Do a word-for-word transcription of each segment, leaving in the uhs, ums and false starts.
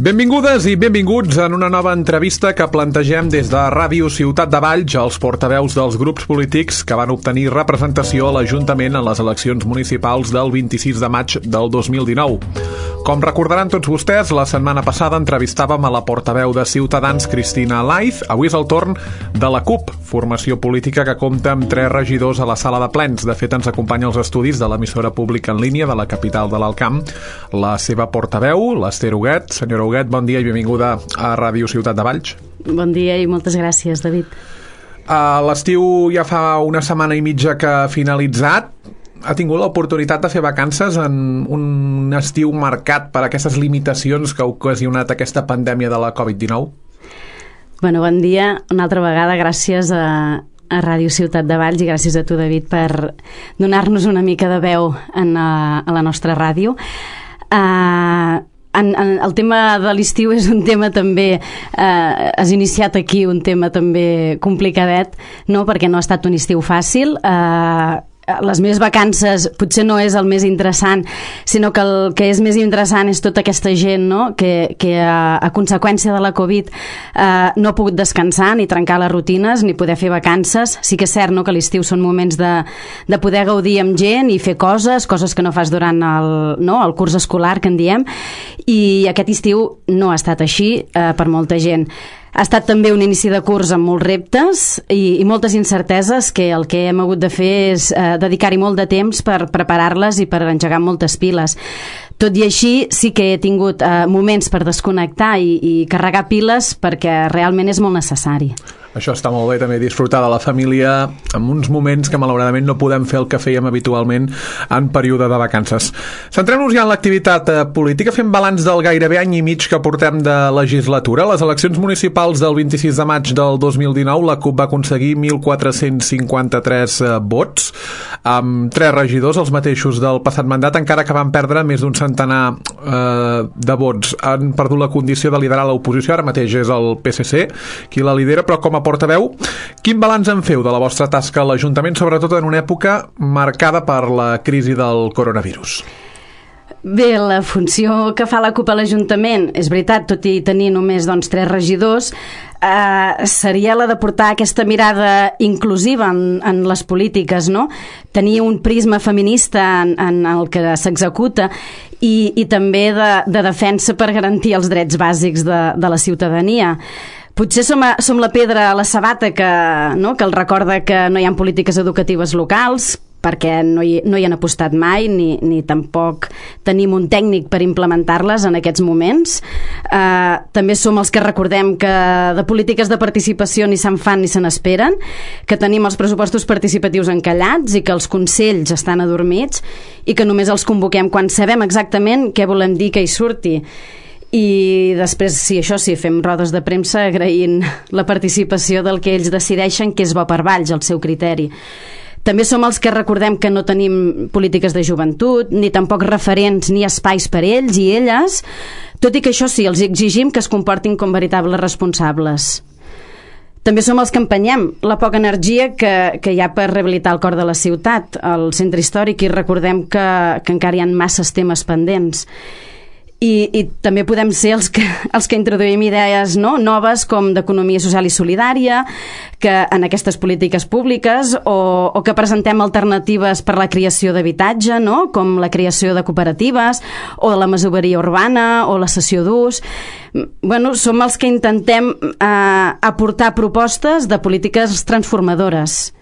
Benvingudes i benvinguts en una nova entrevista que plantegem des de Ràdio Ciutat de Valls als portaveus dels grups polítics que van obtenir representació a l'Ajuntament en les eleccions municipals del vint-i-sis de maig del dos mil dinou. Com recordaran tots vostès, la setmana passada entrevistàvem a la portaveu de Ciutadans, Cristina Laiz. Avui és el torn de la CUP, formació política que compta amb tres regidors a la sala de plens. De fet, ens acompanya als estudis de l'emissora pública en línia de la capital de l'Alt Camp la seva portaveu, l'Ester Huguet. Senyora Huguet, bon dia i benvinguda a Ràdio Ciutat de Valls. Bon dia i moltes gràcies, David. Uh, L'estiu ja fa una setmana i mitja que ha finalitzat. Ha tingut l'oportunitat de fer vacances en un estiu marcat per aquestes limitacions que ha ocasionat aquesta pandèmia de la covid dinou? Bueno, bon dia. Una altra vegada, gràcies a, a Ràdio Ciutat de Valls i gràcies a tu, David, per donar-nos una mica de veu en a, a la nostra ràdio. Uh, En, en, el tema de l'estiu és un tema també, eh, has iniciat aquí un tema també complicadet, no? Perquè no ha estat un estiu fàcil. Eh, les meves vacances potser no és el més interessant, sinó que el que és més interessant és tota aquesta gent, no? que, que a, a conseqüència de la Covid eh, no ha pogut descansar ni trencar les rutines ni poder fer vacances. Sí que és cert, no?, que l'estiu són moments de, de poder gaudir amb gent i fer coses, coses que no fas durant el, no? el curs escolar, que en diem, i aquest estiu no ha estat així eh, per molta gent. Ha estat també un inici de curs amb molts reptes i, i moltes incerteses que el que hem hagut de fer és eh, dedicar-hi molt de temps per preparar-les i per engegar moltes piles. Tot i així, sí que he tingut eh, moments per desconnectar i, i carregar piles perquè realment és molt necessari. Això està molt bé, també disfrutar de la família en uns moments que malauradament no podem fer el que fèiem habitualment en període de vacances. Centrem-nos ja en l'activitat política, fem balanç del gairebé any i mig que portem de legislatura. Les eleccions municipals del vint-i-sis de maig del dos mil dinou, la CUP va aconseguir mil quatre-cents cinquanta-tres vots, amb tres regidors, els mateixos del passat mandat, encara que van perdre més d'un centenar eh, de vots. Han perdut la condició de liderar l'oposició, ara mateix és el P S C qui la lidera, però com a portaveu, quin balanç en feu de la vostra tasca a l'Ajuntament, sobretot en una època marcada per la crisi del coronavirus? Bé, la funció que fa la CUP a l'Ajuntament, és veritat, tot i tenir només doncs, tres regidors, eh, seria la de portar aquesta mirada inclusiva en, en les polítiques, no? Tenir un prisma feminista en, en el que s'executa i, i també de, de defensa per garantir els drets bàsics de, de la ciutadania. Potser som, a, som la pedra a la sabata que, no? que el recorda que no hi ha polítiques educatives locals, perquè no hi, no hi han apostat mai, ni, ni tampoc tenim un tècnic per implementar-les en aquests moments. Eh, també som els que recordem que de polítiques de participació ni se'n fan ni se n'esperen, que tenim els pressupostos participatius encallats i que els consells estan adormits i que només els convoquem quan sabem exactament què volem dir que hi surti. I després, sí, això sí, fem rodes de premsa agraint la participació del que ells decideixen que és bo per Valls, el seu criteri. També som els que recordem que no tenim polítiques de joventut, ni tampoc referents ni espais per ells i elles, tot i que això sí, els exigim que es comportin com veritables responsables. També som els que empenyem la poca energia que, que hi ha per rehabilitar el cor de la ciutat, el centre històric, i recordem que, que encara hi ha masses temes pendents. I, i també podem ser els que, els que introduïm idees, no?, noves com d'economia social i solidària que en aquestes polítiques públiques o, o que presentem alternatives per la creació d'habitatge, no?, com la creació de cooperatives o la masoveria urbana o la cessió d'ús. Bueno, som els que intentem eh, aportar propostes de polítiques transformadores.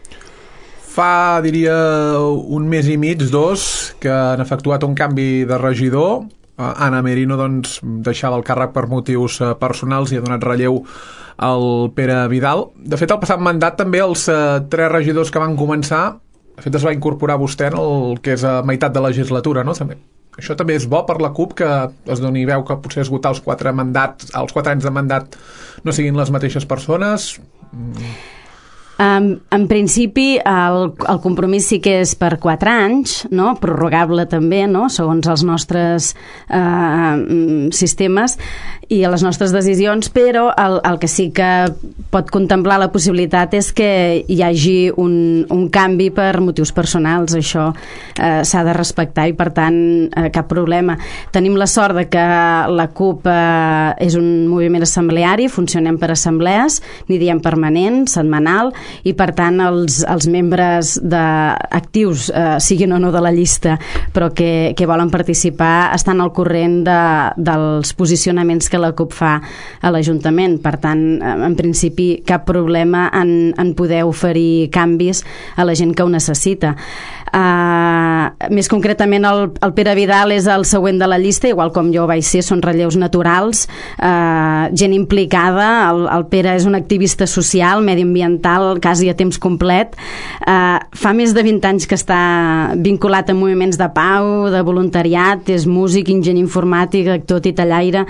Fa, diria, un mes i mig, dos, que han efectuat un canvi de regidor. Anna Merino doncs, deixava el càrrec per motius eh, personals i ha donat relleu al Pere Vidal. De fet, el passat mandat també els eh, tres regidors que van començar, de fet es va incorporar vostè en el que és a meitat de legislatura, no? També. Això també és bo per la CUP, que es doni veu que potser esgotar els quatre mandats, els quatre anys de mandat no siguin les mateixes persones? En, en principi, el, el compromís sí que és per quatre anys, no? Prorrogable també, no? Segons els nostres eh, sistemes i les nostres decisions, però el, el que sí que pot contemplar la possibilitat és que hi hagi un, un canvi per motius personals. Això eh, s'ha de respectar i, per tant, eh, cap problema. Tenim la sort de que la CUP eh, és un moviment assembleari, funcionem per assemblees, n'hi diem permanent, setmanal, i per tant els, els membres de, actius, eh, siguin o no de la llista, però que, que volen participar, estan al corrent de, dels posicionaments que la CUP fa a l'Ajuntament. Per tant, en principi, cap problema en, en poder oferir canvis a la gent que ho necessita. Uh, més concretament, el, el Pere Vidal és el següent de la llista, igual com jo vaig ser, són relleus naturals, uh, gent implicada. El, el Pere és un activista social, mediambiental, quasi a temps complet. Uh, fa més de vint anys que està vinculat a moviments de pau, de voluntariat, és músic, enginyer informàtic, actor, titellaire.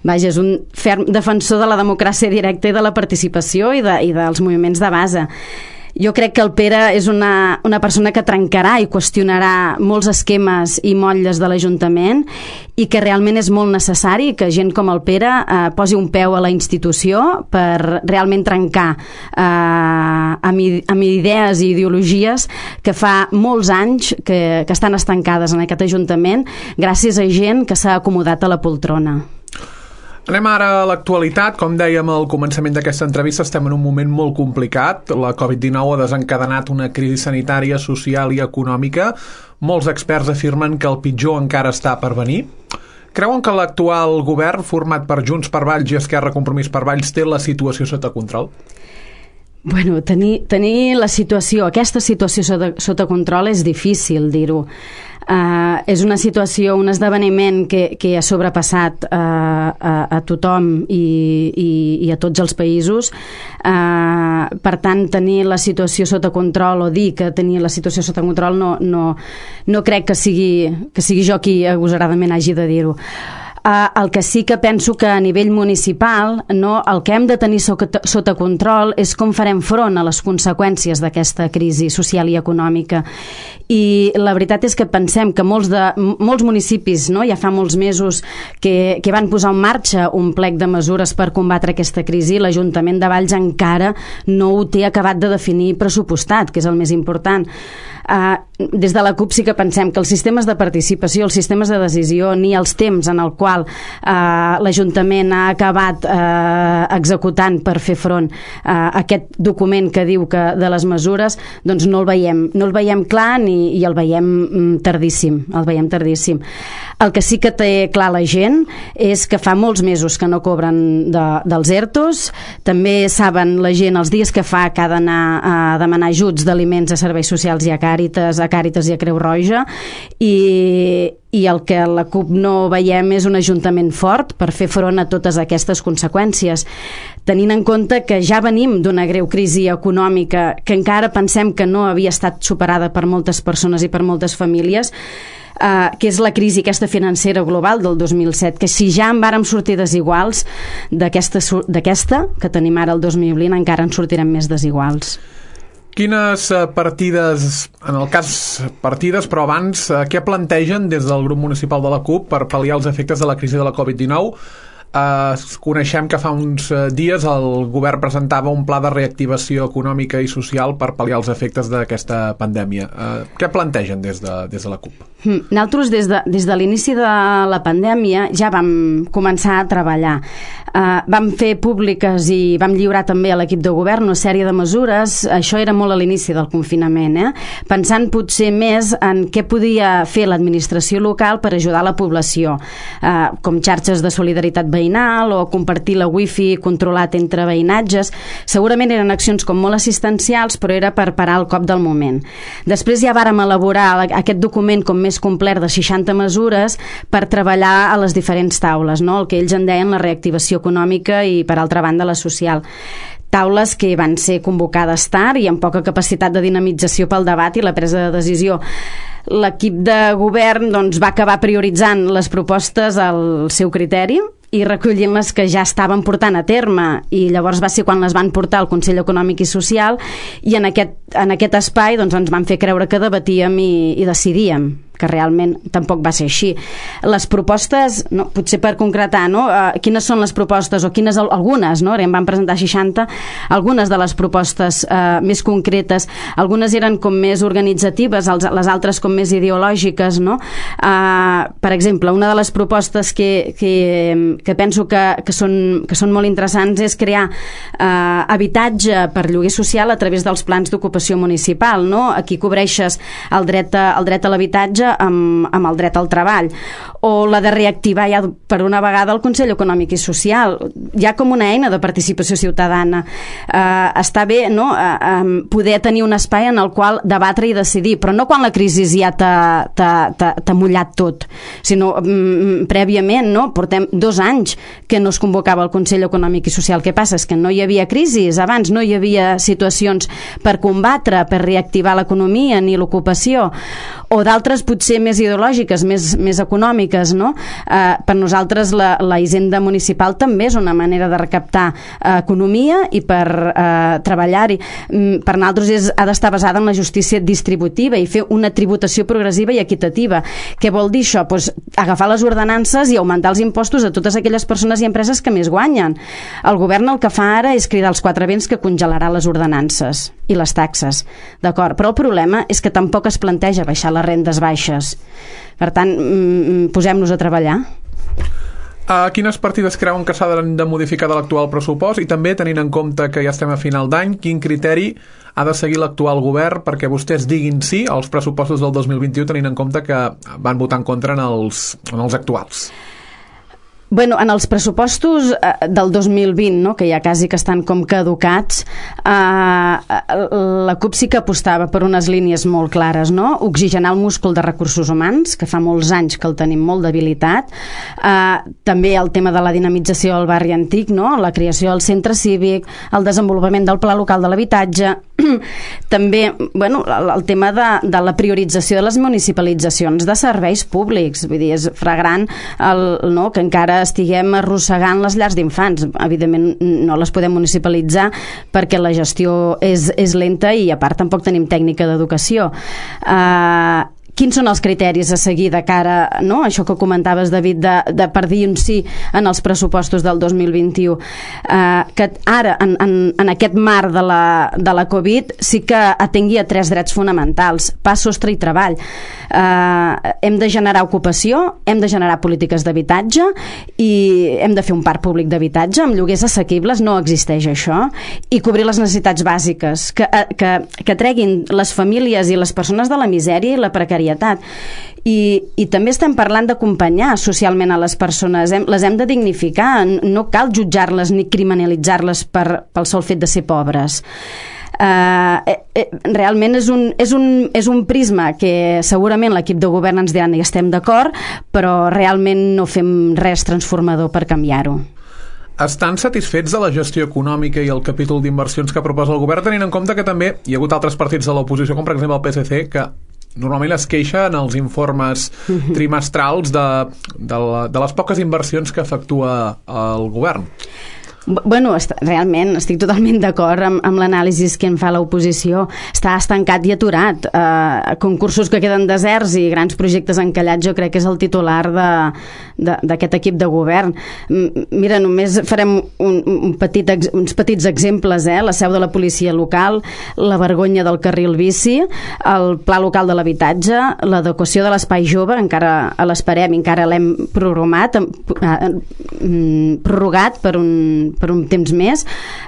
Vaja, és un ferm defensor de la democràcia directa i de la participació i, de, i dels moviments de base. Jo crec que el Pere és una, una persona que trencarà i qüestionarà molts esquemes i motlles de l'Ajuntament i que realment és molt necessari que gent com el Pere eh, posi un peu a la institució per realment trencar eh, amb, amb idees i ideologies que fa molts anys que, que estan estancades en aquest Ajuntament gràcies a gent que s'ha acomodat a la poltrona. Anem ara a l'actualitat. Com dèiem al començament d'aquesta entrevista, estem en un moment molt complicat. La covid dinou ha desencadenat una crisi sanitària, social i econòmica. Molts experts afirmen que el pitjor encara està per venir. Creuen que l'actual govern, format per Junts per Valls i Esquerra Compromís per Valls, té la situació sota control? Bueno, tenir, tenir la situació, aquesta situació sota, sota control és difícil dir-ho. Uh, és una situació, un esdeveniment que, que ha sobrepassat uh, a, a tothom i, i, i a tots els països. Uh, per tant, tenir la situació sota control o dir que tenir la situació sota control no, no, no crec que sigui, que sigui jo qui agosaradament hagi de dir-ho. Uh, el que sí que penso que a nivell municipal, no, el que hem de tenir sota, sota control és com farem front a les conseqüències d'aquesta crisi social i econòmica. I la veritat és que pensem que molts, de, molts municipis, no, ja fa molts mesos que, que van posar en marxa un plec de mesures per combatre aquesta crisi. L'Ajuntament de Valls encara no ho té acabat de definir pressupostat, que és el més important. Uh, des de la CUP sí que pensem que els sistemes de participació, els sistemes de decisió, ni els temps en el qual uh, l'Ajuntament ha acabat uh, executant per fer front a uh, aquest document que diu que de les mesures, doncs no el veiem, no el veiem clar ni, i el veiem mm, tardíssim, el veiem tardíssim. El que sí que té clar la gent és que fa molts mesos que no cobren de, dels ERTOs, també saben la gent els dies que fa que ha d'anar a demanar ajuts d'aliments a serveis socials i a Càritas, a Càritas i a Creu Roja, i, i el que la CUP no veiem és un ajuntament fort per fer front a totes aquestes conseqüències, tenint en compte que ja venim d'una greu crisi econòmica que encara pensem que no havia estat superada per moltes persones i per moltes famílies, Uh, que és la crisi aquesta financera global del dos mil set, que si ja en vàrem sortir desiguals d'aquesta que tenim ara el dos mil vint, encara en sortirem més desiguals. Quines partides, en el cas partides, però abans, què plantegen des del grup municipal de la CUP per pal·liar els efectes de la crisi de la covid dinou? Uh, coneixem que fa uns uh, dies el govern presentava un pla de reactivació econòmica i social per pal·liar els efectes d'aquesta pandèmia. Uh, què plantegen des de, des de la CUP? Nosaltres des de, des de l'inici de la pandèmia ja vam començar a treballar. Uh, vam fer públiques i vam lliurar també a l'equip de govern una sèrie de mesures. Això era molt a l'inici del confinament, eh? Pensant potser més en què podia fer l'administració local per ajudar la població, uh, com xarxes de solidaritat veïnal o compartir la wifi controlat entre veïnatges. Segurament eren accions com molt assistencials, però era per parar el cop del moment. Després ja vàrem elaborar aquest document com més complet de seixanta mesures per treballar a les diferents taules, no? El que ells en deien la reactivació econòmica i, per altra banda, la social. Taules que van ser convocades tard i amb poca capacitat de dinamització pel debat i la presa de decisió. L'equip de govern doncs, va acabar prioritzant les propostes al seu criteri i recollint les que ja estaven portant a terme, i llavors va ser quan les van portar al Consell Econòmic i Social, i en aquest, en aquest espai doncs, ens van fer creure que debatíem i, i decidíem, que realment tampoc va ser així. Les propostes, no, potser per concretar, no, uh, quines són les propostes, o quines algunes, no, en van presentar seixanta, algunes de les propostes uh, més concretes, algunes eren com més organitzatives, els, les altres com més ideològiques, no? Uh, per exemple, una de les propostes que, que, que penso que, que, són, que són molt interessants és crear uh, habitatge per lloguer social a través dels plans d'ocupació municipal, no? Aquí cobreixes el dret a, el dret a l'habitatge amb, amb el dret al treball, o la de reactivar ja per una vegada el Consell Econòmic i Social, ja com una eina de participació ciutadana. Eh, està bé, no?, eh, eh, poder tenir un espai en el qual debatre i decidir, però no quan la crisi ja t'ha mullat tot, sinó mm, prèviament, no? Portem dos anys que no es convocava el Consell Econòmic i Social. Què passa? És que no hi havia crisis, abans no hi havia situacions per combatre, per reactivar l'economia ni l'ocupació, o d'altres potser més ideològiques, més, més econòmiques, no? Eh, per nosaltres la, la hisenda municipal també és una manera de recaptar eh, economia i per eh, treballar-hi. Mm, per nosaltres és, ha d'estar basada en la justícia distributiva i fer una tributació progressiva i equitativa. Què vol dir això? Pues, agafar les ordenances i augmentar els impostos a totes aquelles persones i empreses que més guanyen. El govern el que fa ara és cridar els quatre vents que congelarà les ordenances i les taxes, d'acord? Però el problema és que tampoc es planteja baixar les rendes baixes. Per tant, posem-nos a treballar. Uh, quines partides creuen que s'han de modificar de l'actual pressupost, i també tenint en compte que ja estem a final d'any, quin criteri ha de seguir l'actual govern perquè vostès diguin sí als pressupostos del dos mil vint-i-u, tenint en compte que van votar en contra en els, en els actuals? Bueno, en els pressupostos eh, del dos mil vint, no, que ja quasi que estan com caducats, eh, la CUP sí que apostava per unes línies molt clares, no? Oxigenar el múscul de recursos humans, que fa molts anys que el tenim molt debilitat, eh, també el tema de la dinamització del barri antic, no? La creació del centre cívic, el desenvolupament del pla local de l'habitatge, també, bueno, el, el tema de, de la priorització de les municipalitzacions de serveis públics, vull dir, és fragrant el, no, que encara estiguem arrossegant les llars d'infants. Evidentment no les podem municipalitzar perquè la gestió és, és lenta i a part tampoc tenim tècnica d'educació. Uh, Quins són els criteris a seguir de cara, no? Això que comentaves, David, de, de per dir un sí en els pressupostos del dos mil vint-i-u. Uh, que ara, en, en, en aquest marc de la, de la Covid, sí que atengui a tres drets fonamentals: pa, sostre i treball. Uh, hem de generar ocupació, hem de generar polítiques d'habitatge i hem de fer un parc públic d'habitatge amb lloguers assequibles, no existeix això, i cobrir les necessitats bàsiques que, que, que treguin les famílies i les persones de la misèria i la precarietat. I, i també estem parlant d'acompanyar socialment a les persones, hem, les hem de dignificar, no cal jutjar-les ni criminalitzar-les per, pel sol fet de ser pobres. Uh, eh, eh, realment és un, és, un, és un prisma que segurament l'equip de govern ens diran i estem d'acord, però realment no fem res transformador per canviar-ho. Estan satisfets de la gestió econòmica i el capítol d'inversions que proposa el govern, tenint en compte que també hi ha hagut altres partits de l'oposició, com per exemple el P S C, que normalment es queixa en els informes trimestrals de, de, la, de les poques inversions que efectua el govern? Bueno, realment estic totalment d'acord amb, amb l'anàlisi que en fa l'oposició. Està estancat i aturat. Eh, concursos que queden deserts i grans projectes encallats, jo crec que és el titular d'aquest equip de govern. Mira, només farem un, un petit, uns petits exemples, eh? La seu de la policia local, la vergonya del carril bici, el pla local de l'habitatge, l'adequació de l'espai jove, encara l'esperem, encara l'hem prorrogat, prorrogat per un per un temps més,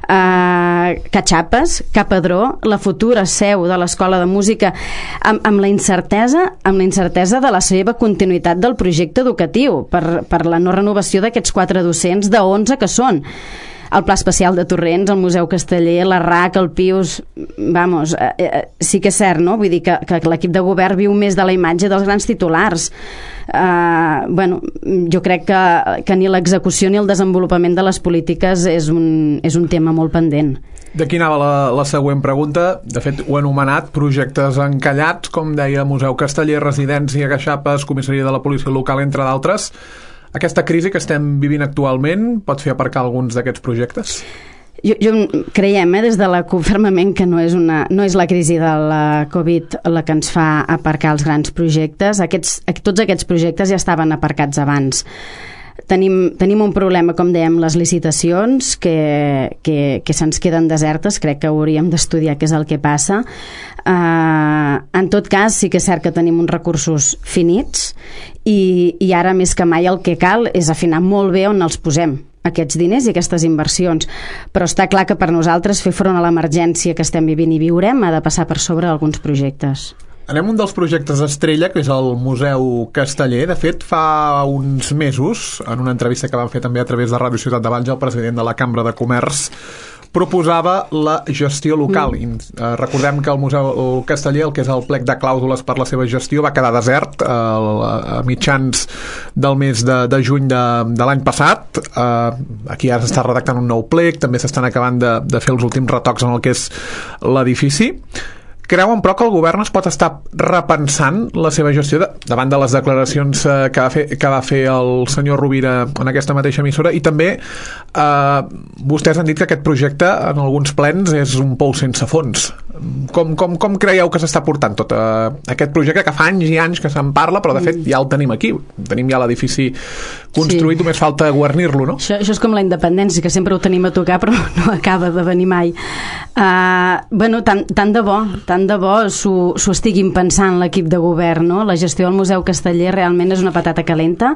eh, Catxapes, Capadró, la futura seu de l'Escola de Música, amb, amb la incertesa amb la incertesa de la seva continuïtat del projecte educatiu per, per la no renovació d'aquests quatre docents de onze que són. El Pla Especial de Torrents, el Museu Casteller, la R A C, el Pius, vamos, eh, eh, sí que és cert, no? Vull dir que, que l'equip de govern viu més de la imatge dels grans titulars. Uh, bueno, jo crec que, que ni l'execució ni el desenvolupament de les polítiques és un, és un tema molt pendent. D'aquí anava la, la següent pregunta. De fet, ho he anomenat projectes encallats, com deia, Museu Casteller, Residència, Catxapes, Comissaria de la Policia Local, entre d'altres. Aquesta crisi que estem vivint actualment pot fer aparcar alguns d'aquests projectes? Jo, jo creiem, eh, des de la CUP fermament que no és, una, no és la crisi de la Covid la que ens fa aparcar els grans projectes. Aquests, tots aquests projectes ja estaven aparcats abans. Tenim, tenim un problema, com dèiem, les licitacions, que, que, que se'ns queden desertes. Crec que hauríem d'estudiar què és el que passa. Uh, en tot cas, sí que és cert que tenim uns recursos finits i, i ara més que mai el que cal és afinar molt bé on els posem, aquests diners i aquestes inversions. Però està clar que per nosaltres fer front a l'emergència que estem vivint i viurem ha de passar per sobre alguns projectes. Anem un dels projectes estrella, que és el Museu Casteller. De fet, fa uns mesos, en una entrevista que van fer també a través de Ràdio Ciutat de Valls, el president de la Cambra de Comerç proposava la gestió local. Mm. I, eh, recordem que el Museu Casteller, el que és el plec de clàusules per la seva gestió, va quedar desert eh, a mitjans del mes de, de juny de, de l'any passat. Eh, aquí ara s'està redactant un nou plec, també s'estan acabant de, de fer els últims retocs en el que és l'edifici. Creuen, però, que el govern es pot estar repensant la seva gestió de, davant de les declaracions eh, que, va fer, que va fer el senyor Rovira en aquesta mateixa emissora, i també eh, vostès han dit que aquest projecte en alguns plens és un pou sense fons. Com, com, com creieu que s'està portant tot eh, aquest projecte que fa anys i anys que se'n parla, però de fet ja el tenim aquí, tenim ja l'edifici construït, sí. Només falta guarnir-lo, no? Això, això és com la independència, que sempre ho tenim a tocar però no acaba de venir mai. Uh, bueno, tant, tant de bo tant de bo s'ho estiguin pensant l'equip de govern, no? La gestió del Museu Casteller realment és una patata calenta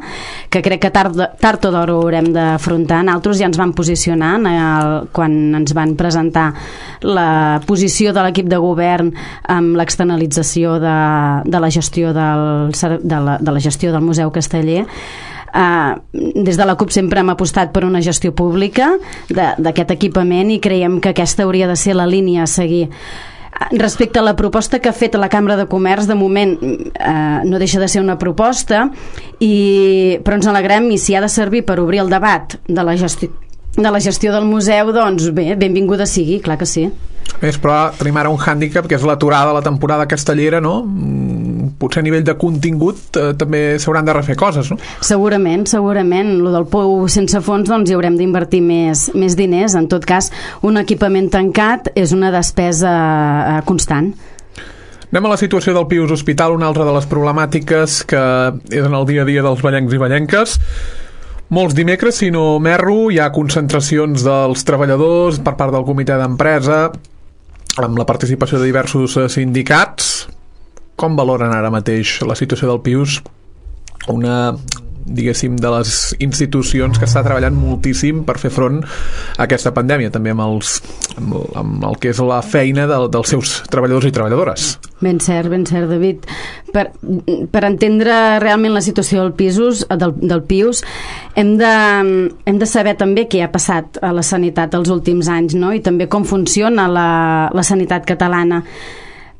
que crec que tard, tard o d'hora ho haurem d'afrontar. Nosaltres ja ens vam posicionar el, quan ens van presentar la posició de l'equip de govern amb l'externalització de, de la gestió del, de, la, de la gestió del Museu Casteller. Uh, des de la CUP sempre hem apostat per una gestió pública d'aquest equipament i creiem que aquesta hauria de ser la línia a seguir. Respecte a la proposta que ha fet la Cambra de Comerç, de moment eh, no deixa de ser una proposta, i, però ens alegrem, i si ha de servir per obrir el debat de la gestió, de la gestió del museu, doncs bé, benvinguda sigui, clar que sí. Més, però tenim ara un hàndicap, que és l'aturada de la temporada castellera, no? Potser a nivell de contingut eh, també s'hauran de refer coses, no? Segurament, segurament. Lo del pou sense fons, doncs hi haurem d'invertir més, més diners. En tot cas, un equipament tancat és una despesa eh, constant. Anem a la situació del Pius Hospital, una altra de les problemàtiques que és en el dia a dia dels vallencs i vallenques. Molts dimecres, si no m'erro, hi ha concentracions dels treballadors per part del comitè d'empresa, amb la participació de diversos sindicats. Com valoren ara mateix la situació del Pius? Una, diguéssim, de les institucions que està treballant moltíssim per fer front a aquesta pandèmia, també amb, els, amb, el, amb el que és la feina de, dels seus treballadors i treballadores. Ben cert, ben cert, David. Per, per entendre realment la situació del Pius, del, del Pius hem, de, hem de saber també què ha passat a la sanitat els últims anys, no? I també com funciona la, la sanitat catalana.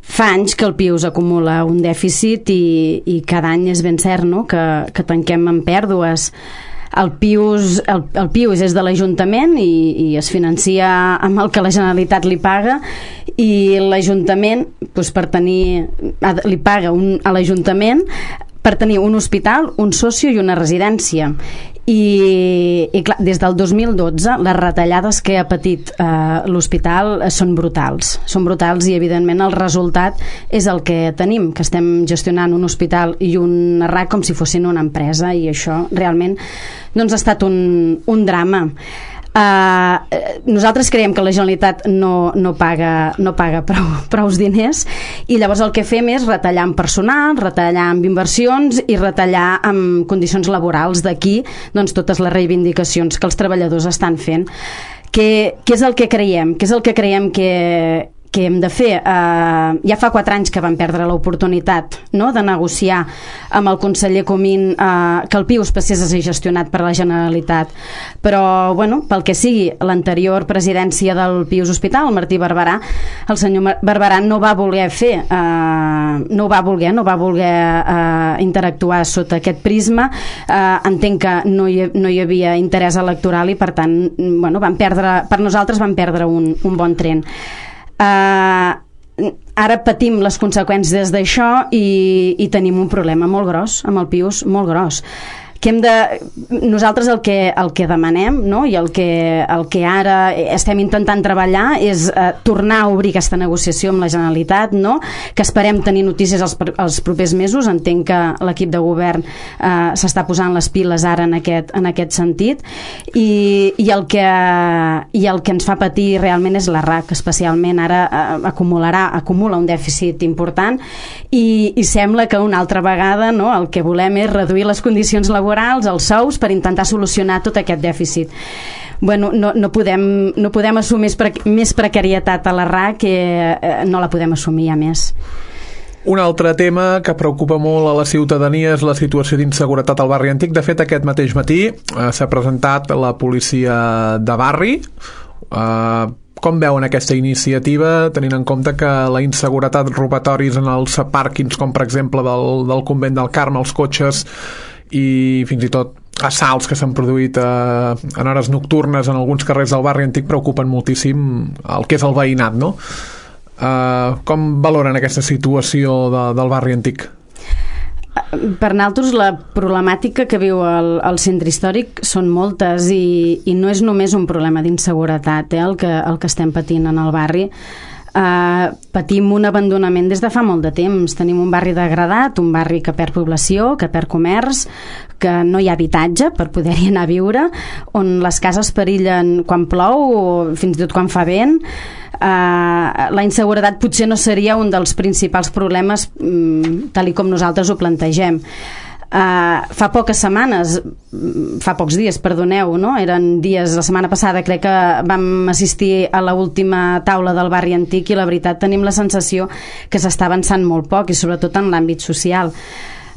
Fa anys que el Pius acumula un dèficit i, i cada any és ben cert, no? que, que tanquem amb pèrdues. El Pius, el, el Pius és de l'Ajuntament i, i es financia amb el que la Generalitat li paga, i l'Ajuntament doncs, per tenir, li paga un, a l'Ajuntament per tenir un hospital, un socio i una residència. I, i clar, des del dos mil dotze les retallades que ha patit eh, l'hospital són brutals són brutals i evidentment el resultat és el que tenim, que estem gestionant un hospital i un R A C com si fossin una empresa, i això realment doncs, ha estat un, un drama. Uh, nosaltres creiem que la Generalitat no, no paga, no paga prou, prous diners, i llavors el que fem és retallar en personal, retallar en inversions i retallar en condicions laborals. D'aquí doncs, totes les reivindicacions que els treballadors estan fent. Què, què és el que creiem? Què és el que creiem que, que hem de fer? Uh, ja fa quatre anys que vam perdre l'oportunitat, no?, de negociar amb el conseller Comín uh, que el Pius passés a ser gestionat per la Generalitat, però bueno, pel que sigui, l'anterior presidència del Pius Hospital, el Martí Barberà, el senyor Barberà no va voler fer uh, no ho va voler no va voler uh, interactuar sota aquest prisma. uh, entenc que no hi, no hi havia interès electoral i per tant bueno, van perdre, per nosaltres van perdre un, un bon tren. Uh, ara patim les conseqüències d'això i, i tenim un problema molt gros amb el Pius, molt gros. que hem de... Nosaltres el que, el que demanem, no? I el que, el que ara estem intentant treballar és eh, tornar a obrir aquesta negociació amb la Generalitat, no? Que esperem tenir notícies els, els propers mesos. Entenc que l'equip de govern eh, s'està posant les piles ara en aquest, en aquest sentit, i, i, el que, i el que ens fa patir realment és la R A C, especialment ara eh, acumularà, acumula un dèficit important, i, i sembla que una altra vegada, no, el que volem és reduir les condicions laborals, els sous, per intentar solucionar tot aquest dèficit. Bueno, no, no, podem, no podem assumir més, pre més precarietat a la R A C, que eh, no la podem assumir ja més. Un altre tema que preocupa molt a la ciutadania és la situació d'inseguretat al barri antic. De fet, aquest mateix matí eh, s'ha presentat la policia de barri. Eh, com veuen aquesta iniciativa, tenint en compte que la inseguretat, robatoris en els pàrquings, com per exemple del, del convent del Carme, els cotxes, i fins i tot assalts que s'han produït eh, en hores nocturnes en alguns carrers del barri antic, preocupen moltíssim el que és el veïnat, no? Eh, com valoren aquesta situació de, del barri antic? Per nosaltres la problemàtica que viu el, el centre històric són moltes, i, i no és només un problema d'inseguretat, eh, el, que, el que estem patint en el barri. Uh, patim un abandonament des de fa molt de temps. Tenim un barri degradat, un barri que perd població, que perd comerç, que no hi ha habitatge per poder-hi anar a viure, on les cases perillen quan plou o fins i tot quan fa vent. Uh, la inseguretat potser no seria un dels principals problemes um, tal i com nosaltres ho plantegem. Uh, fa poques setmanes, fa pocs dies, perdoneu, no? Eren dies, la setmana passada crec que vam assistir a l'última taula del barri antic, i la veritat tenim la sensació que s'està avançant molt poc, i sobretot en l'àmbit social.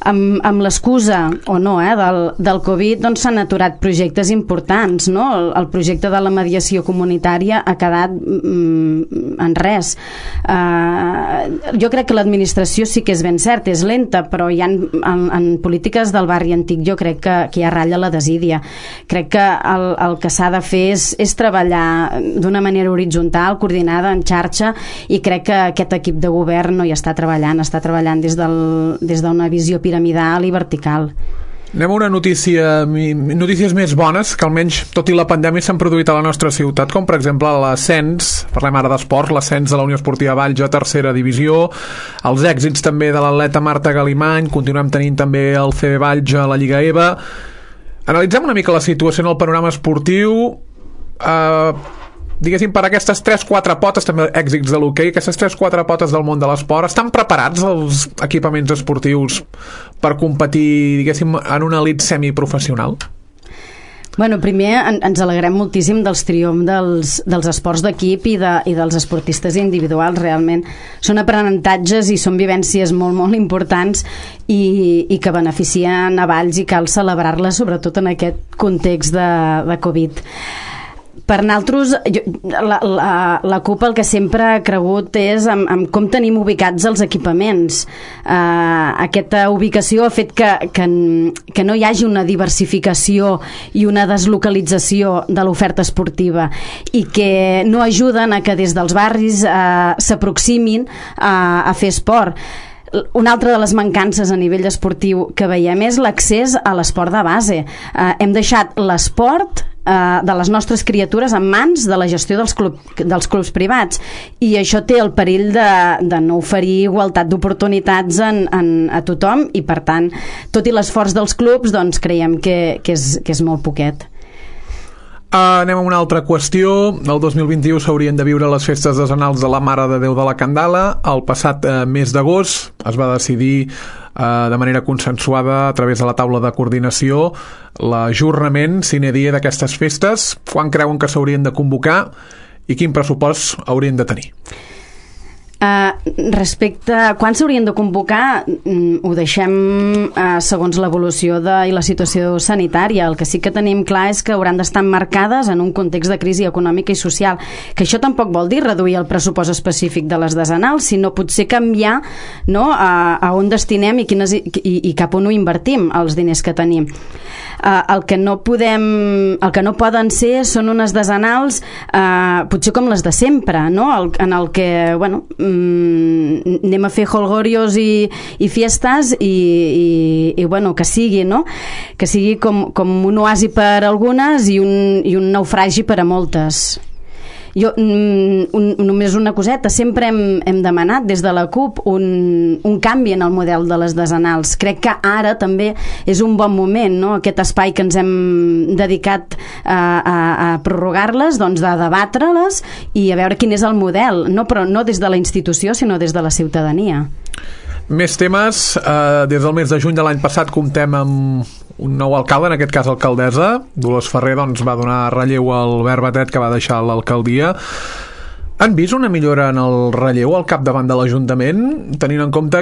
Amb, amb l'excusa o no eh, del, del Covid, doncs s'han aturat projectes importants, no? El, el projecte de la mediació comunitària ha quedat mm, en res. Uh, jo crec que l'administració sí que és ben cert, és lenta, però hi ha, en, en polítiques del barri antic jo crec que, que hi ha ratlla la desídia. Crec que el, el que s'ha de fer és, és treballar d'una manera horitzontal, coordinada, en xarxa, i crec que aquest equip de govern no hi està treballant, està treballant des del, des d'una visió piramidal i vertical. Anem a una notícia, notícies més bones, que almenys, tot i la pandèmia, s'han produït a la nostra ciutat, com per exemple l'ascens, parlem ara d'esport, l'ascens de la Unió Esportiva Valls a tercera divisió, els èxits també de l'atleta Marta Galimany, continuem tenint també el C B Valls a la Lliga EVA. Analitzem una mica la situació en el panorama esportiu, eh, diguéssim, per aquestes tres quatre potes, també èxits de l'hoquei, aquestes tres quatre potes del món de l'esport, estan preparats els equipaments esportius per competir, diguéssim, en una elit semiprofessional? Bueno, primer en, ens alegrem moltíssim dels triomfs dels, dels esports d'equip i, de, i dels esportistes individuals. Realment són aprenentatges i són vivències molt, molt importants, i, i que beneficien a Valls, i cal celebrar-les, sobretot en aquest context de, de Covid. Per nosaltres, la, la, la CUP el que sempre ha cregut és en, en com tenim ubicats els equipaments. Uh, aquesta ubicació ha fet que, que, que no hi hagi una diversificació i una deslocalització de l'oferta esportiva, i que no ajuden a que des dels barris uh, s'aproximin a, a fer esport. Una altra de les mancances a nivell esportiu que veiem és l'accés a l'esport de base. Uh, hem deixat l'esport Uh, de les nostres criatures en mans de la gestió dels, club, dels clubs privats, i això té el perill de, de no oferir igualtat d'oportunitats en, en, a tothom, i per tant, tot i l'esforç dels clubs, doncs creiem que, que, és, que és molt poquet. Uh, anem a una altra qüestió. El dos mil vint-i-u s'haurien de viure les festes decenals de la Mare de Déu de la Candala. El passat uh, mes d'agost es va decidir uh, de manera consensuada a través de la taula de coordinació l'ajornament sine die d'aquestes festes. Quan creuen que s'haurien de convocar i quin pressupost haurien de tenir? Uh, respecte a quan s'haurien de convocar, mm, ho deixem uh, segons l'evolució de, i la situació sanitària. El que sí que tenim clar és que hauran d'estar marcades en un context de crisi econòmica i social, que això tampoc vol dir reduir el pressupost específic de les decenals, sinó potser canviar, no, a, a on destinem i, quines, i, i cap on ho invertim els diners que tenim. Uh, el que no podem, el que no poden ser són unes decenals uh, potser com les de sempre, no? el, en el que, bueno, mm, anem a fer holgorios i, i fiestes i, i, i bueno, que sigui, no? Que sigui com, com un oasi per algunes i un, i un naufragi per a moltes. Jo, un, només una coseta, sempre hem, hem demanat des de la CUP un, un canvi en el model de les desenals. Crec que ara també és un bon moment, no? Aquest espai que ens hem dedicat a, a, a prorrogar-les, doncs de debatre-les i a veure quin és el model, no, però no des de la institució sinó des de la ciutadania. Més temes. Eh, des del mes de juny de l'any passat comptem amb un nou alcalde, en aquest cas alcaldessa. Dolors Ferrer doncs, va donar relleu al Albert Batet, que va deixar l'alcaldia. Han vist una millora en el relleu al capdavant de l'Ajuntament, tenint en compte,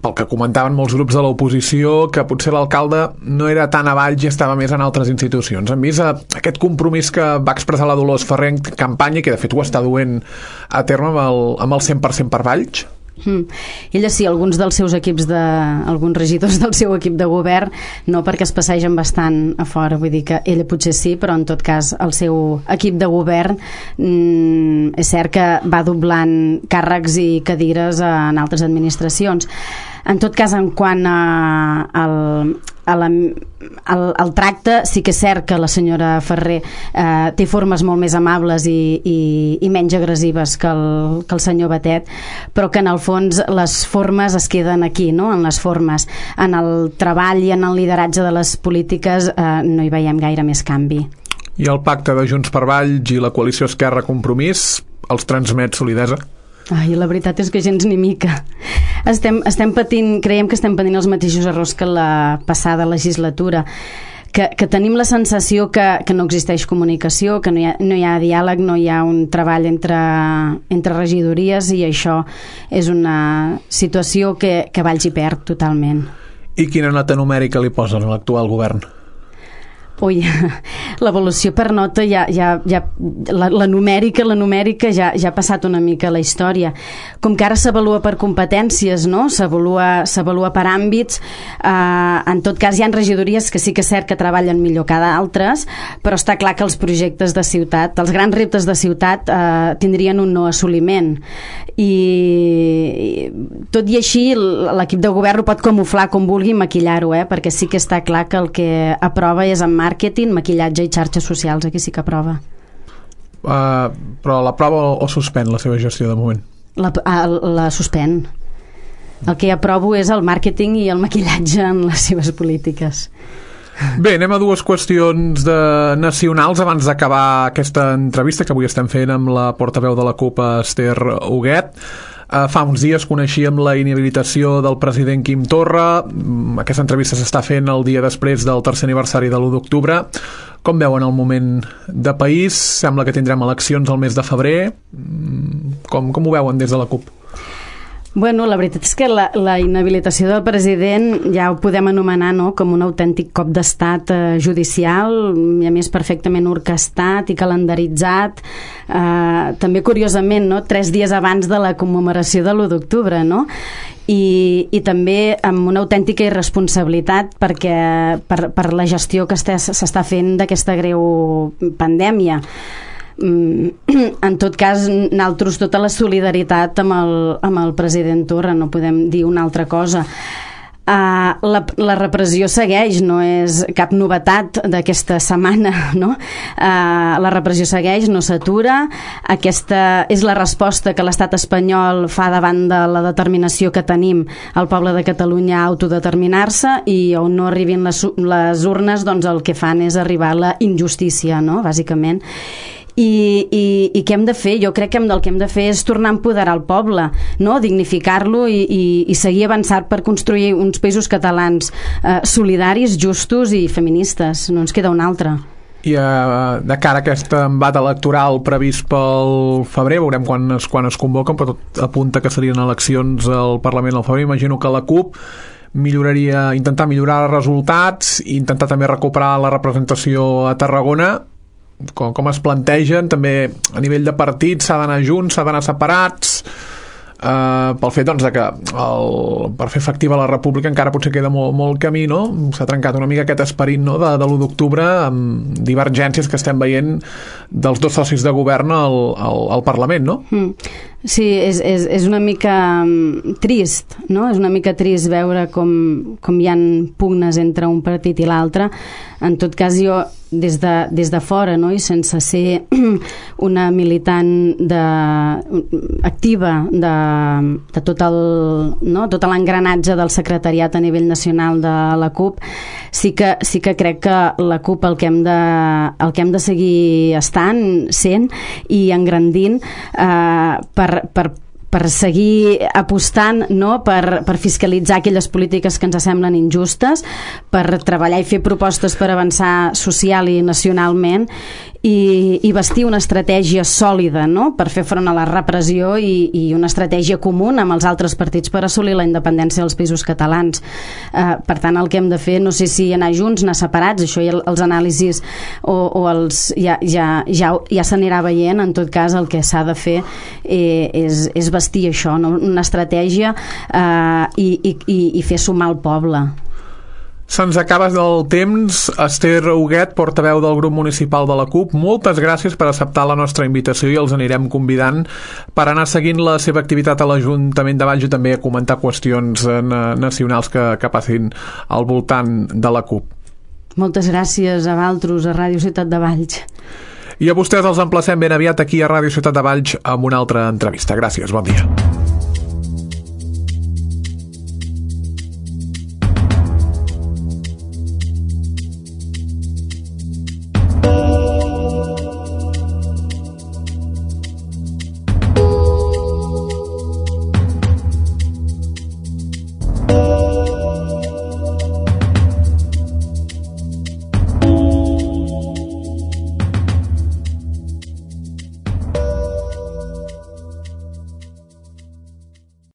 pel que comentaven molts grups de l'oposició, que potser l'alcalde no era tan a Valls i estava més en altres institucions? Han vist aquest compromís que va expressar la Dolors Ferrer en campanya, que de fet ho està duent a terme amb el, amb el cent per cent per Valls? Mm. Ella sí, alguns dels seus equips de, alguns regidors del seu equip de govern no, perquè es passegen bastant a fora, vull dir que ella potser sí, però en tot cas el seu equip de govern mm, és cert que va doblant càrrecs i cadires en altres administracions. En tot cas, en quant a, al, a la, al, al tracte, sí que és cert que la senyora Ferrer eh, té formes molt més amables i, i, i menys agressives que el, que el senyor Batet, però que en el fons les formes es queden aquí, no? En les formes. En el treball i en el lideratge de les polítiques eh, no hi veiem gaire més canvi. I el pacte de Junts per Valls i la coalició Esquerra Compromís els transmet solidesa? Ai, la veritat és que gens ni mica. Estem, estem patint, creiem que estem patint els mateixos errors que la passada legislatura. Que, que tenim la sensació que, que no existeix comunicació, que no hi ha, no hi ha diàleg, no hi ha un treball entre, entre regidories, i això és una situació que, que Valls hi perd totalment. I quina nota numèrica li posen a l'actual govern? Ui, l'evolució per nota ja, ja, ja la, la numèrica, la numèrica ja, ja ha passat una mica a la història. Com que ara s'avalua per competències, no? S'avalua, s'avalua per àmbits. Eh, en tot cas hi ha regidories que sí que és cert que treballen millor que d'altres, però està clar que els projectes de ciutat, els grans reptes de ciutat eh, tindrien un no assoliment. I, i tot i així l'equip de govern ho pot camuflar com vulgui, maquillar-ho, eh? Perquè sí que està clar que el que aprova és en màrqueting, maquillatge i xarxes socials. Aquí sí que aprova. Uh, però l'aprova o suspèn la seva gestió de moment? La, la suspèn. El que aprovo és el màrqueting i el maquillatge en les seves polítiques. Bé, anem a dues qüestions de nacionals abans d'acabar aquesta entrevista que avui estem fent amb la portaveu de la CUP, Esther Huguet. Uh, fa uns dies coneixíem la inhabilitació del president Quim Torra. Aquesta entrevista s'està fent el dia després del tercer aniversari de l'u d'octubre. Com veuen el moment de país? Sembla que tindrem eleccions al mes de febrer. Com, com ho veuen des de la CUP? Bueno, la veritat és que la, la inhabilitació del president ja ho podem anomenar, no?, com un autèntic cop d'estat eh, judicial, i a més perfectament orquestat i calendaritzat. Eh, també curiosament, no?, tres dies abans de la commemoració de l'u d'octubre, no?, i, i també amb una autèntica irresponsabilitat perquè per, per la gestió que s'està fent d'aquesta greu pandèmia. En tot cas, nosaltres tota la solidaritat amb el, amb el president Torra, no podem dir una altra cosa. Uh, la, la repressió segueix, no és cap novetat d'aquesta setmana, no? Uh, la repressió segueix, no s'atura. Aquesta és la resposta que l'estat espanyol fa davant de la determinació que tenim el poble de Catalunya a autodeterminar-se, i on no arribin les, les urnes, doncs el que fan és arribar a la injustícia, no?, bàsicament. I, i, i què hem de fer? Jo crec que el que hem de fer és tornar a empoderar el poble, no?, dignificar-lo i, i, i seguir avançant per construir uns països catalans eh, solidaris, justos i feministes. No ens queda un altre. I uh, de cara a aquest embat electoral previst pel febrer, veurem quan es, quan es convoquen, però tot apunta que serien eleccions al Parlament al febrer. Imagino que la CUP milloraria, intentar millorar els resultats i intentar també recuperar la representació a Tarragona. Com, com es plantegen també a nivell de partit? S'ha d'anar junts, s'ha d'anar separats? Uh, pel fet, doncs, de que el, per fer efectiva la república encara potser queda molt, molt camí, no? S'ha trencat una mica aquest esperit, no?, de, de l'u d'octubre, amb divergències que estem veient dels dos socis de govern al, al, al Parlament, no? Mm. Sí, és, és, és una mica trist, no? És una mica trist veure com, com hi ha pugnes entre un partit i l'altre. En tot cas, jo, des de, des de fora, no? I sense ser una militant de, activa de, de tot el, no? tot l'engranatge del secretariat a nivell nacional de la CUP, sí que, sí que crec que la CUP el que hem de, el que hem de seguir estant, sent i engrandint eh, per per per seguir apostant, no? per, per fiscalitzar aquelles polítiques que ens semblen injustes, per treballar i fer propostes per avançar social i nacionalment i, i vestir una estratègia sòlida, no? Per fer front a la repressió i, i una estratègia comuna amb els altres partits per assolir la independència dels països catalans. Eh, per tant, el que hem de fer, no sé si anar junts, anar separats, això ja els anàlisis o, o els, ja, ja, ja, ja s'anirà veient. En tot cas, el que s'ha de fer eh, és, és vestir això, no? Una estratègia eh, i, i, i fer sumar el poble. Se'ns acaba el temps. Esther Huguet, portaveu del grup municipal de la CUP, moltes gràcies per acceptar la nostra invitació i els anirem convidant per anar seguint la seva activitat a l'Ajuntament de Valls i també a comentar qüestions eh, nacionals que, que passin al voltant de la CUP. Moltes gràcies a Valtros, a Ràdio Ciutat de Valls. I a vostès els emplacem ben aviat aquí a Ràdio Ciutat de Valls amb una altra entrevista. Gràcies, bon dia.